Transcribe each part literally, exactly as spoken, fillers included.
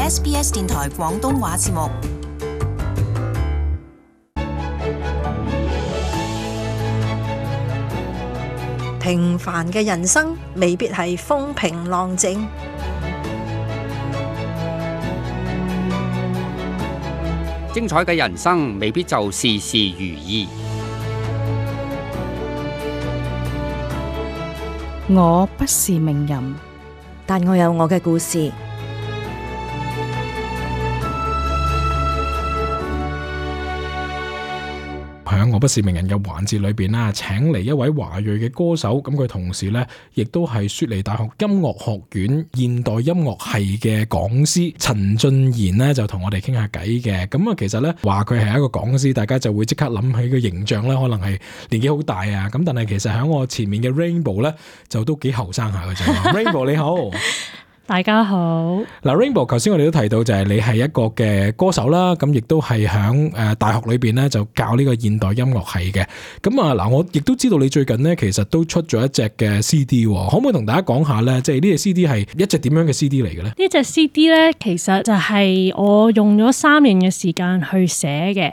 S B S 電台廣東話節目。平凡嘅人生未必係風平浪靜，精彩嘅人生未必就事事如意。我不是名人，但我有我嘅故事。喺我不是名人嘅環節裏邊啦，請嚟一位華裔嘅歌手，咁佢同時咧亦都係雪梨大學音樂學院現代音樂系嘅講師陳俊賢咧，就同我哋傾下偈嘅。咁啊，其實咧話佢係一個講師，大家就會即刻諗起個形象咧，可能係年紀好大啊。咁但係其實喺我前面嘅 Rainbow 咧，就都幾後生下嘅啫。Rainbow 你好。大家好。嗱 Rainbow， 頭先我哋都提到就係你係一個嘅歌手啦，咁亦都係響誒大學裏邊咧就教呢個現代音樂系嘅。咁啊嗱，我亦都知道你最近咧其實都出咗一隻嘅 C D， 可唔可以同大家講下咧？即係呢隻 C D 係一隻點樣嘅 C D 嚟嘅咧？呢隻 C D 咧，其實就係我用咗三年嘅時間去寫嘅。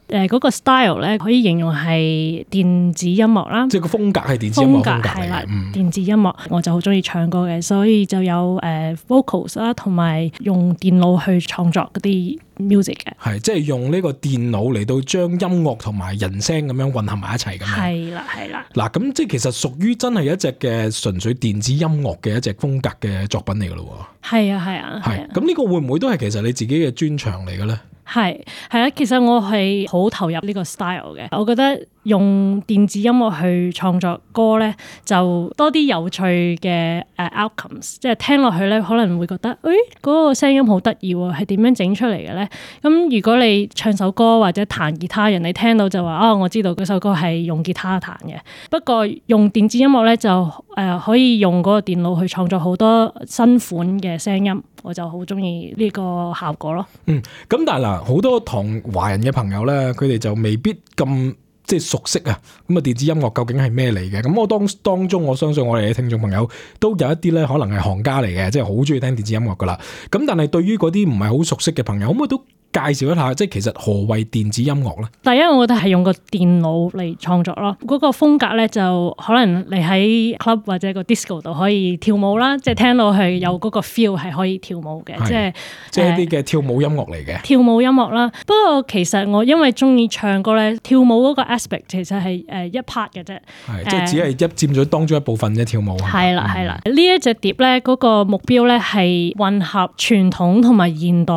誒、呃、嗰、那個 style 咧，可以形容係電子音樂啦，即係個風格係電子音樂風格係啦、嗯，電子音樂我就好中意唱歌嘅，所以就有誒、呃、vocals 啦，同埋用電腦去創作嗰啲 music 嘅。係即係用呢個電腦嚟到將音樂同埋人聲咁樣混合埋一齊咁樣。係啦，係啦。嗱，咁即係其實屬於真係一隻嘅純粹電子音樂嘅一隻風格嘅作品嚟㗎咯喎。係啊，係啊。係。咁呢個會唔會都係其實你自己嘅專長嚟嘅咧？係係啊，其實我係好投入呢個 style 嘅。我覺得用電子音樂去創作歌咧，就多啲有趣嘅誒 outcomes， 即係聽落去咧可能會覺得，誒、哎、嗰、那個聲音好得意喎，係點樣整出嚟嘅咧？咁如果你唱首歌或者彈吉他，人哋聽到就話，哦，我知道嗰首歌係用吉他彈嘅。不過用電子音樂咧就誒、呃、可以用嗰個電腦去創作好多新款嘅聲音，我就好中意呢個效果咯。嗯，咁但係嗱，好多同華人嘅朋友咧，佢哋就未必咁即係熟悉啊。咁啊，電子音樂究竟係咩嚟嘅？咁我當當中，我相信我哋嘅聽眾朋友都有一啲咧，可能係行家嚟嘅，即係好中意聽電子音樂噶啦。咁但係對於嗰啲唔係好熟悉嘅朋友，可唔可以都介紹一下，即係其實何謂電子音樂咧？第一，我覺得係用個電腦嚟創作咯。嗰、那個風格咧，就可能你喺 club 或者個 disco 度可以跳舞啦，即係聽到係有嗰個 feel 係可以跳舞嘅，即係即係一啲嘅跳舞音樂嚟嘅。跳舞音樂啦。不過其實我因為中意唱歌咧，跳舞嗰個 aspect 其實係誒一 part 嘅啫，係即係只係一佔咗當中一部分嘅跳舞。係啦係啦，呢一隻碟咧嗰個目標咧係混合傳統同埋現代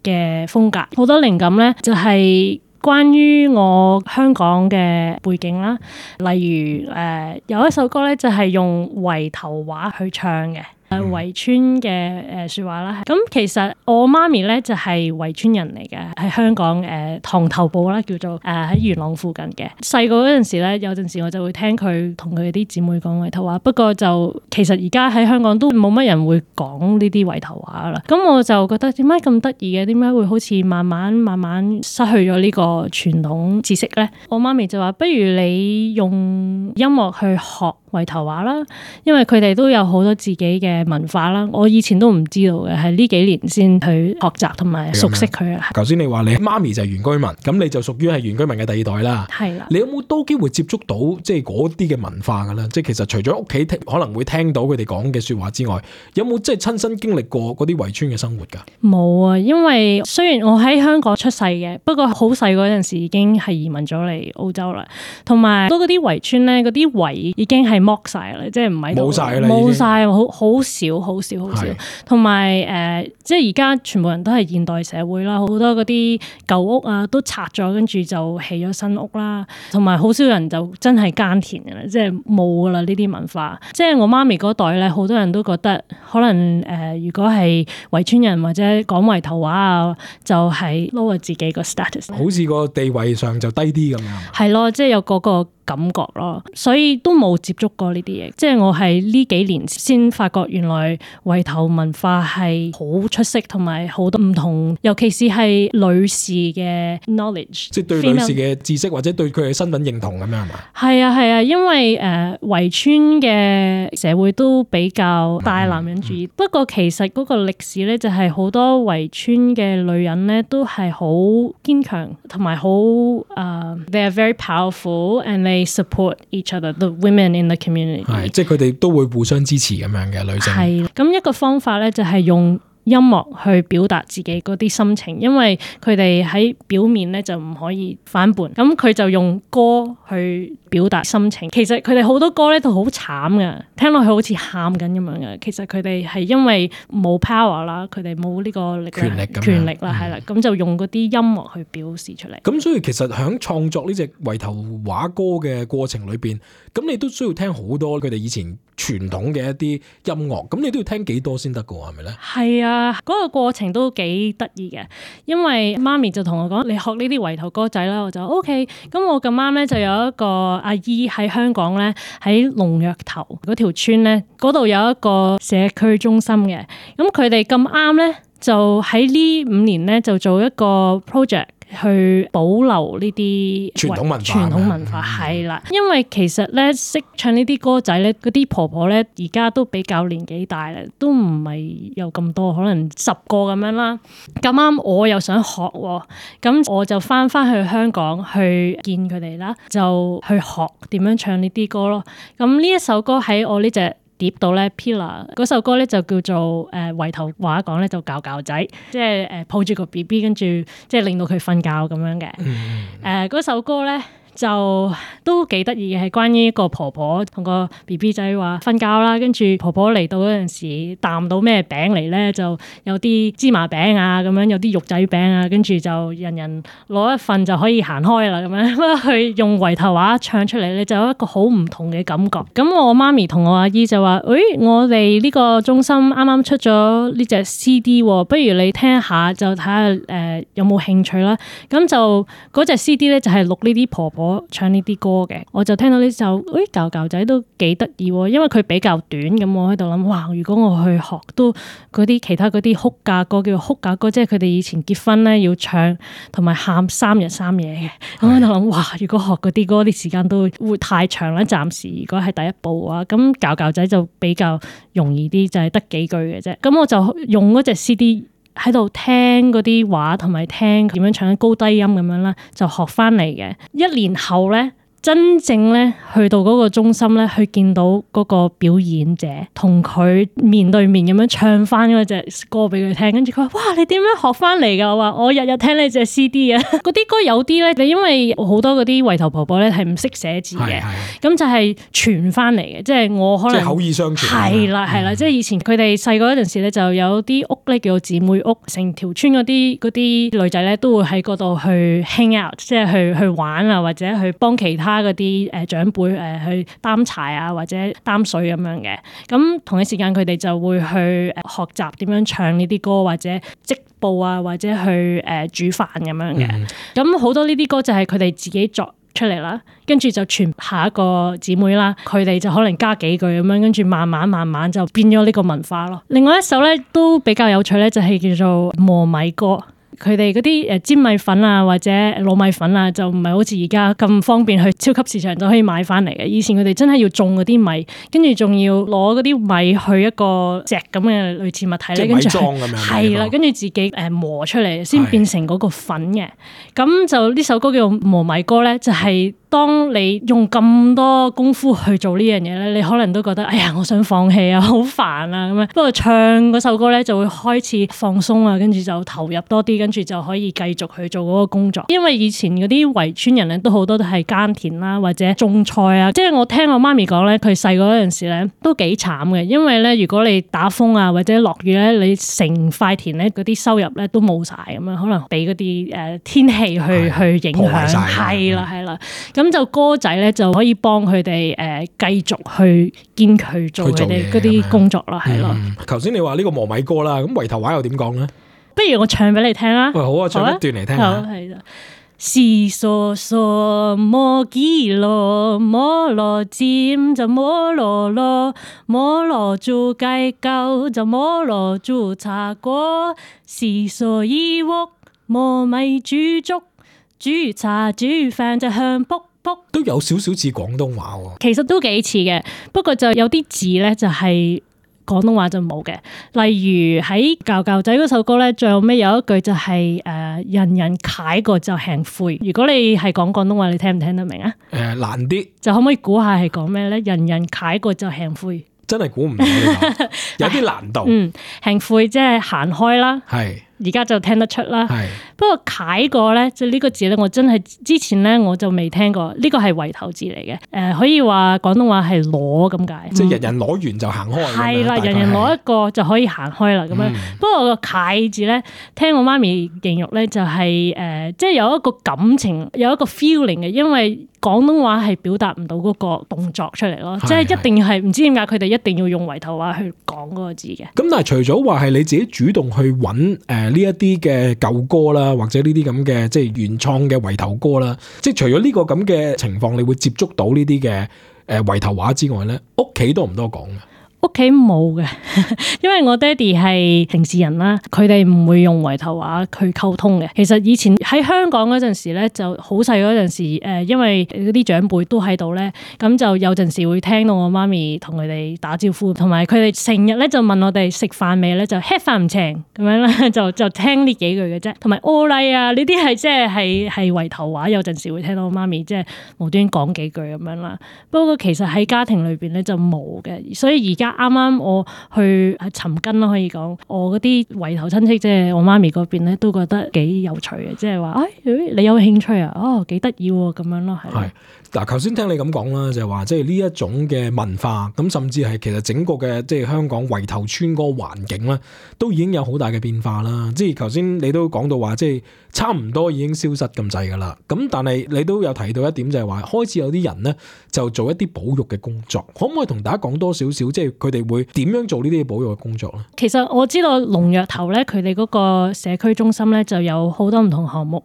嘅風格。好多靈感咧，就係關於我香港嘅背景啦。例如誒、呃，有一首歌咧，就係用圍頭話去唱嘅。誒圍村嘅誒説話啦，咁其實我媽咪咧就係圍村人嚟嘅，喺香港誒塘頭埔啦，叫做誒喺元朗附近嘅。細個嗰陣時咧，有陣時我就會聽佢同佢啲姊妹講圍頭話，不過就其實而家喺香港都冇乜人會講呢啲圍頭話啦。咁我就覺得點解咁得意嘅？點解會好似慢慢慢慢失去咗呢個傳統知識咧？我媽咪就話：不如你用音樂去學圍頭話啦，因為佢哋都有好多自己嘅文化啦，我以前都唔知道嘅，係呢幾年先去學習同埋熟悉佢啊。頭先你話你媽咪就係原居民，咁你就屬於係原居民嘅第二代啦。係啦。你有冇多機會接觸到即係嗰啲嘅文化㗎啦？即係其實除咗屋企可能會聽到佢哋講嘅説話之外，有冇即係親身經歷過嗰啲圍村嘅生活㗎？冇啊，因為雖然我喺香港出世嘅，不過好細嗰陣時已經係移民咗嚟澳洲啦。同埋多嗰啲圍村咧，嗰啲圍已經係剝晒啦，即係唔係冇晒啦，冇晒，好好少，好少，好少。同埋誒，即係而家全部人都係現代社會啦，好多嗰啲舊屋啊都拆咗，跟住就起咗新屋啦。同埋好少人就真係耕田嘅啦，即係冇噶啦呢啲文化。即係我媽咪嗰代咧，好多人都覺得可能誒、呃，如果係圍村人或者講圍頭話啊，就係 lower 自己個 status，好似個地位上就低啲咁樣。係咯，即係有嗰個感覺咯，所以都冇接觸過呢啲嘢。即係我係呢幾年先發覺原來圍頭文化係好出色，同埋好多唔同，尤其是係女士嘅 knowledge， 即係對女士嘅知識或者對佢嘅身份認同咁樣係嘛？係啊係啊，因為誒圍村嘅社會都比較大男人主義，嗯嗯、不過其實嗰個歷史咧就係好多圍村嘅女人咧都係好堅強，同埋好誒 they are very powerful and they support each other, the women in the community。係，即係佢哋都會互相支持咁樣嘅女性。係，咁一個方法咧就係用音樂去表達自己嗰啲心情，因為佢哋喺表面咧就唔可以反叛，咁佢就用歌去表達心情。其實佢哋好多歌咧都好慘㗎，聽落去好似喊緊咁樣嘅。其實佢哋係因為冇 power 啦，佢哋冇呢個力權力咁樣權力啦，係啦、嗯，咁就用嗰啲音樂去表示出嚟。咁所以其實喺創作呢隻圍頭話歌嘅過程裏邊，咁你都需要聽好多佢哋以前傳統嘅一啲音樂，咁你都要聽幾多先得㗎喎？係咪咧？係啊。嗰、那個過程都幾得意嘅，因為媽咪就同我講：你學呢啲圍頭歌仔啦，我就 O K。咁我咁啱咧就有一個阿姨喺香港咧，喺龍躍頭嗰條村咧，嗰度有一個社區中心嘅。咁佢哋咁啱咧，就喺呢五年咧就做一個 project。去保留呢啲傳統文化，傳統文化係啦，因為其實咧識唱呢啲歌仔咧，嗰啲婆婆咧而家都比較年紀大啦，都唔係有咁多，可能十個咁樣啦。咁啱我又想學，咁我就翻翻去香港去見佢哋啦，就去學點樣唱呢啲歌咯。咁呢一首歌喺我呢隻碟到咧 Pillar 嗰首歌咧就叫做誒圍頭話講咧就教教仔，即係誒抱住個 B B 跟住即係令到佢瞓覺咁樣嘅。誒嗰、嗯呃、首歌咧就都幾得意嘅，係關於一個婆婆同個 B B 仔話瞓覺啦，跟住婆婆嚟到嗰陣時擔到咩餅嚟咧，就有啲芝麻餅啊咁樣，有啲肉仔餅啊，跟住就人人攞一份就可以行開啦咁樣。佢用圍頭話唱出嚟咧，就有一個好唔同嘅感覺。咁我媽咪同我阿姨就話：誒、哎，我哋呢個中心啱啱出咗呢隻 C D， 不如你聽下，就睇下誒有冇興趣啦。咁就嗰隻 C D 咧就係錄呢啲婆婆唱呢啲歌嘅，我就聽到呢首誒教教仔都幾得意喎，因為佢比較短，咁我喺度諗，哇！如果我去學都嗰啲其他嗰啲哭嫁歌，叫做哭嫁歌，即係佢哋以前結婚咧要唱同埋喊三日三夜嘅，咁我喺度諗，哇！如果學嗰啲歌啲時間都會太長啦，暫時如果係第一步嘅話，咁教教仔就比較容易啲，就係得幾句嘅啫。咁我就用嗰隻 C D。喺度聽嗰啲話同埋聽點樣唱高低音咁樣啦，就學翻嚟嘅。一年後咧，真正咧去到嗰個中心咧，去見到嗰個表演者，同佢面對面咁樣唱翻嗰隻歌俾佢聽，跟住佢話：哇！你點樣學翻嚟㗎？我話：我日日聽你隻 C D 啊！嗰啲歌有啲咧，你因為好多嗰啲圍頭婆婆咧係唔識寫字嘅，咁就係傳翻嚟嘅，即係我可能即係口耳相傳。係啦係啦，即係以前佢哋細個嗰陣時咧，就有啲屋咧叫做姊妹屋，成條村嗰啲嗰啲女仔咧都會喺嗰度去 hang out，即係去去玩啊，或者去幫其他嗰啲誒長輩誒去擔柴啊，或者擔水咁樣嘅。咁同一時間佢哋就會去學習點樣唱呢啲歌，或者織布啊，或者去誒煮飯咁樣嘅。咁好、嗯、多呢啲歌就係佢哋自己作出嚟啦，跟住就傳下一個姊妹啦，佢哋就可能加幾句咁樣，跟住慢慢慢慢就變咗呢個文化咯。另外一首咧都比較有趣咧，就係叫做磨米歌。佢哋嗰啲誒粘米粉啊，或者糯米粉啊，就唔係好似而家咁方便去超級市場就可以買翻嚟嘅。以前佢哋真係要種嗰啲米，跟住仲要攞嗰啲米去一個石咁嘅類似物體咧，跟住係啦，跟住自己誒磨出嚟先變成嗰個粉嘅。咁就呢首歌叫磨米歌咧，就係、是。當你用咁多功夫去做呢樣嘢咧，你可能都覺得哎呀，我想放棄啊，好煩啊咁樣。不過唱嗰首歌咧，就會開始放鬆啊，跟住就投入多啲，跟住就可以繼續去做嗰個工作。因為以前嗰啲圍村人咧，都好多都係耕田啦，或者種菜啊。即係我聽我媽咪講咧，佢細個嗰陣時咧都幾慘嘅，因為咧如果你打風啊或者落雨咧，你成塊田咧嗰啲收入咧都冇晒咁樣，可能俾嗰啲誒天氣去去影響。係啦係啦。咁就歌仔咧就可以幫佢哋誒繼續去堅持做佢哋嗰啲工作啦，係咯。頭先你話呢個磨米歌啦，咁圍頭話又點講咧？不如我唱俾你聽啦。喂，好啊，唱一段嚟聽下。好係啦。是傻傻摩基羅，摩羅尖就摩羅羅，摩羅做雞狗就摩羅做茶果，是傻耳屋磨米煮粥，煮茶煮飯就香卜卜。都有少少似廣東話喎。其實都幾似嘅，不過就有啲字咧就係廣東話就冇嘅。例如喺教教仔嗰首歌咧，最後尾有一句就係、是、誒、呃、人人踩過就吃灰。如果你係講廣東話，你聽唔聽得明啊？誒、呃、難啲，就可唔可以估下係講咩咧？人人踩過就吃灰，真係估唔到呢個，有啲難度。嗯，吃灰即係行開啦。係。而家就聽得出啦，不過楷過咧，即係呢個字咧，我真係之前咧我就未聽過，呢個係圍頭字嚟嘅，誒、呃、可以話廣東話係攞咁解，即係人人攞完就行開，係啦，人人攞一個就可以行開啦咁樣。嗯、不過個楷字咧，聽我媽咪形容咧就係、是、誒，即、呃、係、就是、有一個感情，有一個 feeling 嘅，因為廣東話係表達唔到嗰個動作出嚟咯，即係一定係唔知點解佢哋一定要用圍頭話去講嗰個字嘅。咁但係除咗話係你自己主動去揾誒。呃呢一啲嘅舊歌啦，或者呢啲咁嘅即係原創嘅圍頭歌啦，即係除咗呢個咁嘅情況，你會接觸到呢啲嘅誒圍頭話之外咧，屋企多唔多講嘅？屋企冇嘅，因為我爹哋係城市人啦，佢哋唔會用圍頭話去溝通嘅。其實以前喺香港嗰陣時咧，就好細嗰陣時，誒，因為嗰啲長輩都喺度咧，咁就有陣時會聽到我媽咪同佢哋打招呼，同埋佢哋成日咧就問我哋食飯未咧，就吃飯唔請咁樣啦，就就聽呢幾句嘅啫。同埋屙禮啊，呢啲係即係係係圍頭話，有陣時會聽到我媽咪即係無端講幾句咁樣啦。不過其實喺家庭裏邊咧就冇嘅，所以而家。啱啱我去尋根啦，可以講我嗰啲圍頭親戚，即係我媽咪嗰邊咧，都覺得幾有趣嘅，即係話，哎，你有興趣啊？哦，幾得意喎，咁樣咯，係。係嗱，頭先聽你咁講啦，就係話，即係呢一種嘅文化，咁甚至係其實整個嘅即係香港圍頭村嗰個環境咧，都已經有好大嘅變化啦。即係頭先你都講到話，即係差唔多已經消失咁滯噶啦。咁但係你都有提到一點，就係話開始有啲人咧就做一啲保育嘅工作，可唔可以同大家講多少少？即係佢哋會點樣做呢啲保育嘅工作咧？其實我知道龍躍頭咧，佢哋嗰個社區中心咧就有好多唔同項目，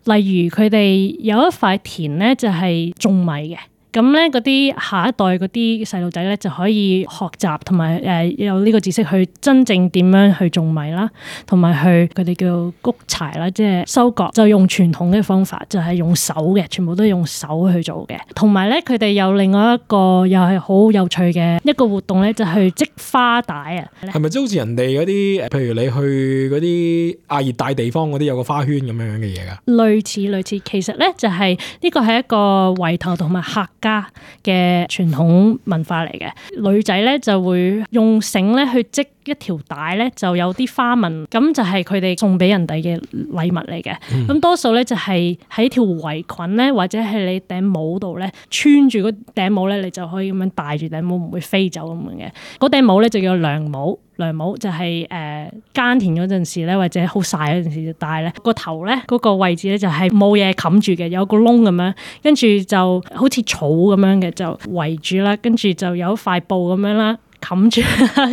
例如佢哋有一塊田咧就係種米嘅。咁咧嗰啲下一代嗰啲細路仔咧就可以學習同埋誒有呢個知識去真正點樣去種米啦，同埋去佢哋叫谷柴啦，即係收割就用傳統嘅方法，就係用手嘅，全部都用手去做嘅。同埋咧佢哋有另外一個又係好有趣嘅一個活動咧，就係去織花帶啊。係咪即係好似人哋嗰啲，譬如你去嗰啲亞熱帶地方嗰啲有個花圈咁樣樣嘅嘢㗎？類似類似，其實咧就係呢個係一個圍頭同埋客家嘅傳統文化嚟嘅，女仔咧就會用繩咧去織一條帶咧，就有啲花紋，咁就係佢哋送俾人哋嘅禮物嚟嘅。咁、嗯、多數咧就係喺條圍裙咧，或者係你頂帽度咧穿住嗰頂帽咧，你就可以咁樣戴住頂帽，唔會飛走咁樣嘅。嗰頂帽咧就叫涼帽。涼帽就係誒耕田嗰陣時咧，或者好曬嗰陣時就戴咧。個頭咧嗰個位置咧就係冇嘢冚住嘅，有個窿咁樣，跟住就好似草咁樣嘅就圍住啦，跟住就有一塊布咁樣啦。冚住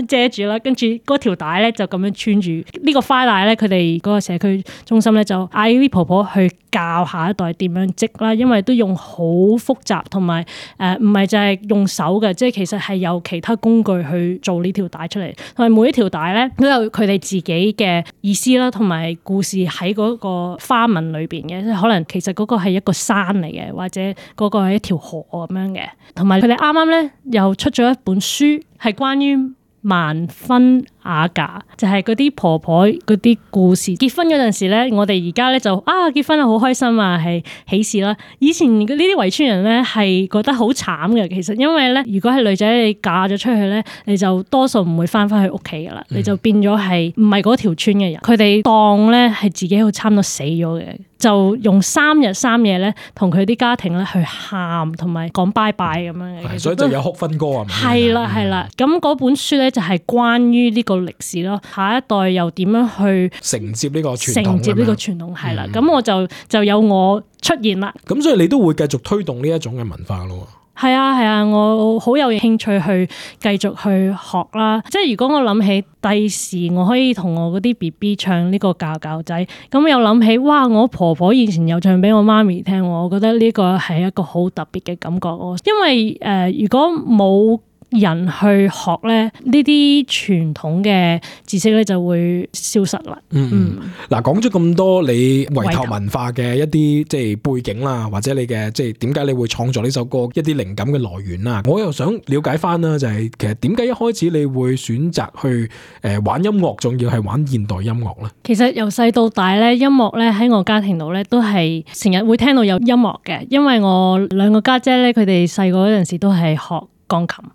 遮住啦，跟住嗰條帶咧就咁樣穿住呢個花帶咧，佢哋嗰個社區中心咧就嗌啲婆婆去教下一代點樣織啦，因為都用好複雜同埋誒唔係就係用手嘅，即係其實係有其他工具去做呢條帶出嚟，同埋每一條帶咧都有佢哋自己嘅意思啦，同埋故事喺嗰個花紋裏邊嘅，即係可能其實嗰個係一個山嚟嘅，或者嗰個係一條河咁樣嘅，同埋佢哋啱啱咧又出咗一本書。係關於萬婚雅嫁，就係嗰啲婆婆嗰啲故事。結婚嗰陣時咧，我哋而家咧就啊結婚啊好開心啊，係喜事啦。以前呢啲圍村人咧係覺得好慘嘅，其實因為咧，如果係女仔你嫁咗出去咧，你就多數唔會翻返去屋企噶啦，你就變咗係唔係嗰條村嘅人。佢哋當咧係自己好差唔多死咗嘅。就用三日三夜咧，同佢啲家庭咧去喊，同埋講拜拜咁樣嘅。所以就有哭婚歌啊。係啦係啦，咁嗰本書咧就係關於呢個歷史咯。下一代又點樣去承接呢個傳統？承接呢個傳統係啦，咁、嗯、我就就有我出現啦。咁所以你都會繼續推動呢一種嘅文化咯。係啊係啊，我好有興趣去繼續去學啦。即係如果我諗起第時我可以同我嗰啲 B B 唱呢個教教仔，咁又諗起哇，我婆婆以前又唱俾我媽咪聽，我覺得呢個係一個好特別嘅感覺。因為誒、呃，如果冇人去學咧，呢啲傳統嘅知識咧就會消失啦。嗯，嗱、嗯，講咗咁多你圍頭文化嘅一啲即係背景啦，或者你嘅即係點解你會創作呢首歌一啲靈感嘅來源啦，我又想了解翻啦，就係、是、其實點解一開始你會選擇去誒玩音樂，仲要係玩現代音樂咧？其實由細到大咧，音樂咧喺我家庭度咧都係成日會聽到有音樂嘅，因為我兩個家姐咧，佢哋細個嗰陣時都係學鋼琴，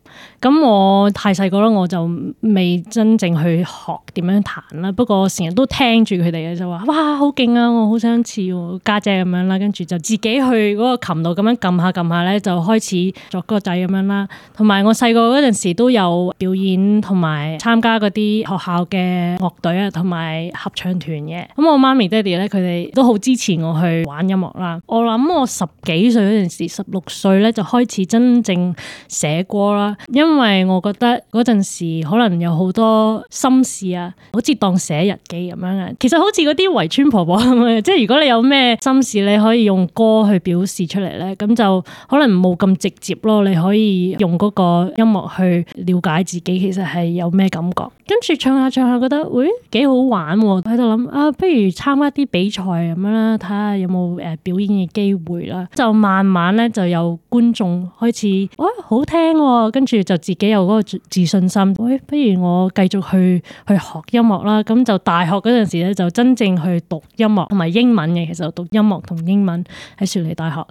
咁我太細個啦，我就未真正去學點樣彈啦。不過成日都聽住佢哋嘅，就話哇好勁啊，我好想似家姐咁樣啦。跟住就自己去嗰個琴度咁樣撳下撳下咧，就開始作歌仔咁樣啦。同埋我細個嗰陣時都有表演同埋參加嗰啲學校嘅樂隊啊，同埋合唱團嘅。咁我媽咪爹哋咧，佢哋都好支持我去玩音樂啦。我諗我十幾歲嗰陣時，十六歲咧就開始真正寫歌啦，因為我覺得嗰陣時可能有好多心事啊，好似當寫日記咁樣啊。其實好似嗰啲圍村婆婆咁樣，即係如果你有咩心事，你可以用歌去表示出嚟咧，咁就可能冇咁直接咯。你可以用嗰個音樂去了解自己，其實係有咩感覺。跟住唱下唱下，覺得喂幾好玩喎，喺度諗啊，不如參加啲比賽咁樣啦，睇下有冇誒表演嘅機會啦。就慢慢咧就有觀眾開始，哇好聽喎，跟住就自己有嗰個自信心。喂，不如我繼續去去學音樂啦。咁就大學嗰陣時咧，就真正去讀音樂同埋英文嘅。其實我讀音樂同英文喺雪梨大學，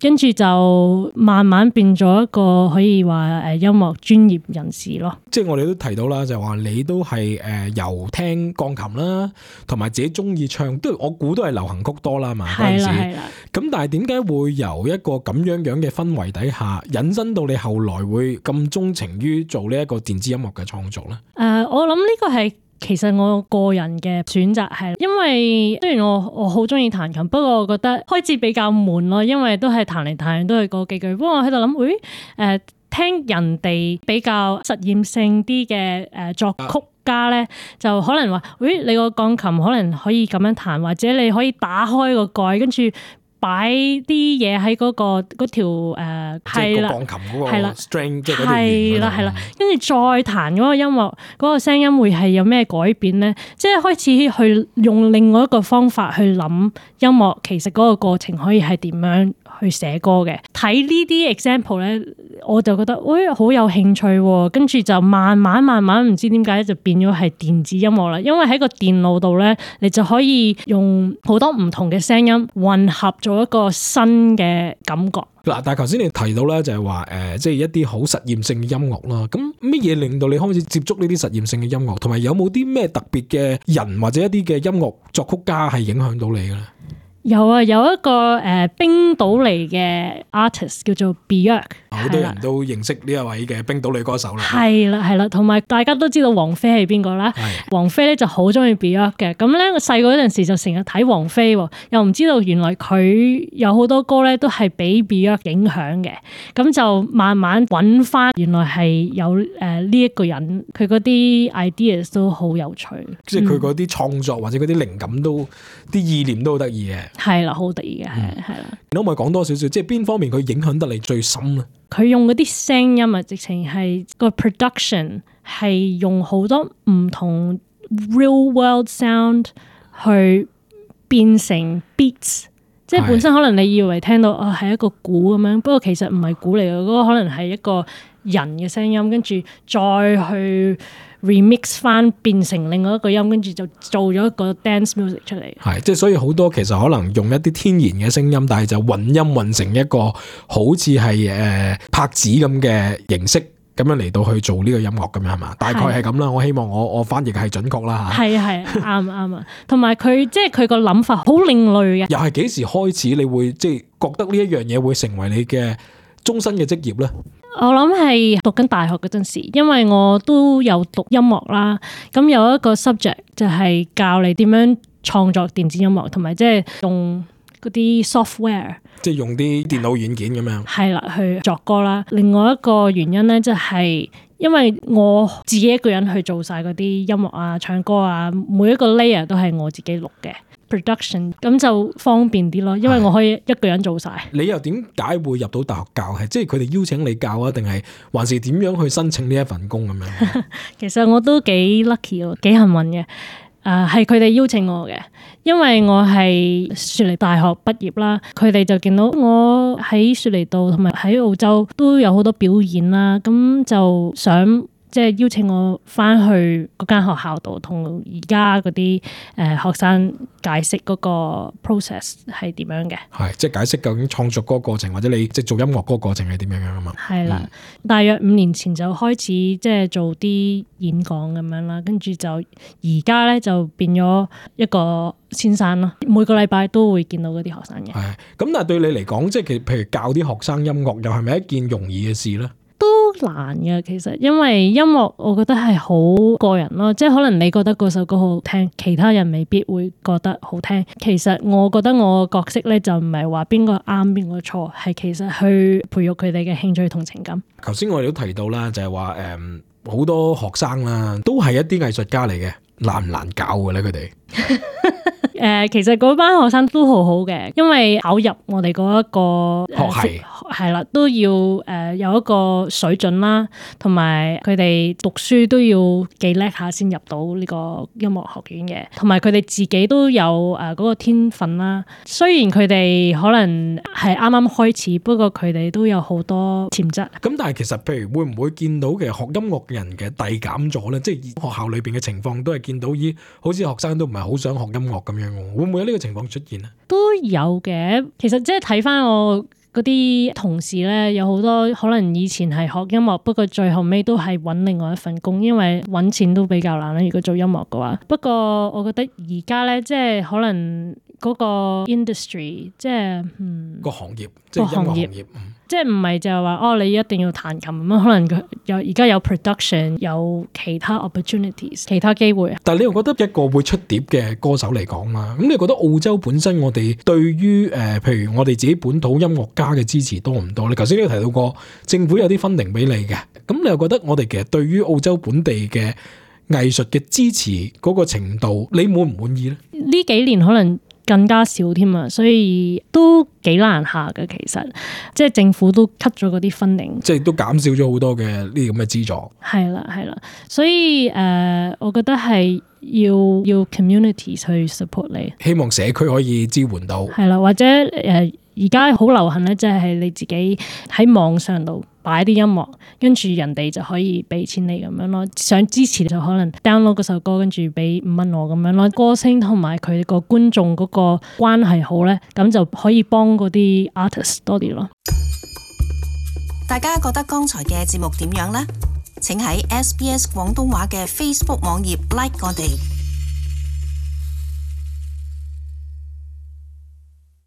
跟住就慢慢變咗一個可以話誒音樂專業人士咯。即係我哋都提到啦，就話你都係誒由聽鋼琴啦，同埋自己中意唱，都我估都係流行曲多啦嘛。嗰陣時係啦。咁但係點解會由一個咁樣樣嘅氛圍底下，引申到你後來會咁鍾情於做呢一個電子音樂嘅創作咧？誒、呃，我諗呢個係其實我個人嘅選擇，係因為雖然我我好中意彈琴，不過我覺得開始比較悶咯，因為都係彈嚟彈去都係嗰幾句。不過我喺度諗，誒、哎、誒、呃、聽人哋比較實驗性啲嘅誒作曲家咧，就可能話，誒、哎、你個鋼琴可能可以咁樣彈，或者你可以打開個蓋，跟住擺啲嘢喺嗰個嗰條誒係啦，鋼琴嗰個 string 即係嗰條弦，係啦係啦，跟住再彈嗰個音樂，嗰個聲音會係有咩改變咧？即係開始去用另外一個方法去諗音樂，其實嗰個過程可以係點樣去寫歌嘅？睇呢啲 example 咧，我就覺得喂好有興趣喎，跟住就慢慢慢慢唔知點解就變咗係電子音樂啦。因為喺個電腦度咧，你就可以用好多唔同嘅聲音混合做一個新嘅感覺。嗱，但係頭先你提到咧，就係話誒，即係一啲好實驗性嘅音樂啦。咁乜嘢令到你開始接觸呢啲實驗性嘅音樂？同埋有冇啲咩特別嘅人或者一啲嘅音樂作曲家係影響到你嘅咧？有啊，有一個誒、呃、冰島嚟嘅 artist 叫做 Björk， 好多人都認識呢一位嘅冰島女歌手啦。係啦，係啦，同埋大家都知道王菲係邊個啦。王菲咧就好中意 Björk 嘅，咁咧我細個嗰陣時就成日睇王菲，又唔知道原來佢有好多歌咧都係俾 Björk 影響嘅，咁就慢慢揾翻原來係有誒呢一個人，佢嗰啲 ideas 都好有趣，即係佢嗰啲創作或者嗰啲靈感都啲意念都好得意嘅。係啦，好得意嘅，係係啦。你可唔可以講多少少，即係邊方面佢影響得你最深咧？佢用嗰啲聲音啊，直情係個 production 係用好多唔同 real world sound 去變成 beats， 即係本身可能你以為聽到啊係一個鼓咁樣，不過其實唔係鼓嚟嘅，嗰個可能係一個人嘅聲音，跟住再去 remix 翻變成另外一個音，跟住就做咗一個 dance music 出嚟。係，即係所以好多其實可能用一啲天然嘅聲音，但係就混音混成一個好似係誒拍子咁嘅形式，咁樣嚟到去做呢個音樂咁樣係嘛？大概係咁啦。我希望我我翻譯係準確啦嚇。係啊係啊，啱啱啊。同埋佢即係佢個諗法好另類嘅。又係幾時開始你會即係覺得呢一樣嘢會成為你嘅終身嘅職業咧？我諗係讀緊大學嗰陣時，因為我都有讀音樂啦。咁有一個 subject 就係教你點樣創作電子音樂，同埋即係用嗰啲 software 即係用啲電腦軟件咁樣。係啦，去作歌啦。另外一個原因咧，就係因為我自己一個人去做晒嗰啲音樂啊、唱歌啊，每一個 layer 都係我自己錄嘅 production， 咁就方便啲咯。因為我可以一個人做晒。你又點解會入到大學教？係即係佢哋邀請你教啊，定係還是點樣去申請呢一份工咁樣？其實我都幾 lucky 喎，幾幸運嘅。誒係佢哋邀請我嘅，因為我係雪梨大學畢業啦，佢哋就見到我喺雪梨度同埋喺澳洲都有好多表演啦，咁就想即係邀請我翻去嗰間學校度，同而家嗰啲誒學生解釋嗰個 process 係點樣嘅。係即係解釋究竟創作嗰個過程，或者你即係做音樂嗰個過程係點樣樣啊嘛。係啦，嗯、大約五年前就開始即係做啲演講咁樣啦，跟住就而家咧就變咗一個先生咯，每個禮拜都會見到嗰啲學生嘅。係咁，但係對你嚟講，即係其譬如教啲學生音樂，又係咪一件容易嘅事咧？都難嘅，其實因為音樂我覺得係好個人咯，即係可能你覺得嗰首歌好聽，其他人未必會覺得好聽。其實我覺得我嘅角色咧就唔係話邊個啱邊個錯，係其實去培育佢哋嘅興趣同情感。頭先我哋都提到啦，就係話誒好多學生啦，都係一啲藝術家嚟嘅，難唔難教嘅咧？佢哋誒、呃，其實嗰班學生都好好嘅，因為考入我哋嗰一個學系係啦，都要誒、呃、有一個水準啦，同埋佢哋讀書都要幾叻下先入到呢個音樂學院嘅，同埋佢哋自己都有誒嗰、呃嗰個天分啦。雖然佢哋可能係啱啱開始，不過佢哋都有好多潛質。咁但係其實譬如會唔會見到嘅學音樂嘅人嘅遞減咗咧？即係學校裏邊嘅情況都係見到咦，好似學生都唔係好想學音樂咁樣。會唔會有呢個情況出現咧？都有嘅，其實即係睇翻我嗰啲同事咧，有好多可能以前係學音樂，不過最後尾都係揾另外一份工，因為揾錢都比較難啦。如果做音樂嘅話，不過我覺得而家咧，即係可能嗰個 industry， 即係嗯個行業，即係音樂行業。即係唔係就係話哦，你一定要彈琴咁樣，可能佢有而家有 production， 有其他 opportunities， 其他機會。但係你又覺得一個會出碟嘅歌手嚟講啦，咁你覺得澳洲本身我哋對於誒、呃，譬如我哋自己本土音樂家嘅支持多唔多？你頭先都提到過政府有啲 funding 俾你嘅，咁你又覺得我哋其實對於澳洲本地嘅藝術嘅支持嗰個程度，你滿唔滿意咧？呢幾年可能更加少添啊，所以都幾難下嘅。其實即係政府都 cut 咗嗰啲funding，即係都減少咗好多嘅呢啲咁嘅資助。係啦係啦，所以誒、呃，我覺得係要要 community 去 support 你，希望社區可以支援到。係啦，或者誒而家好流行咧，即係你自己喺網上度擺啲音樂，跟住人哋就可以俾錢你咁樣咯。想支持就可能 download 嗰首歌，跟住俾五蚊我咁樣咯。歌星同埋佢個觀眾嗰個關係好咧，咁就可以幫嗰啲 artist 多啲咯。大家覺得剛才嘅節目點樣呢？請喺 S B S 廣東話嘅 Facebook 網頁 like 我哋。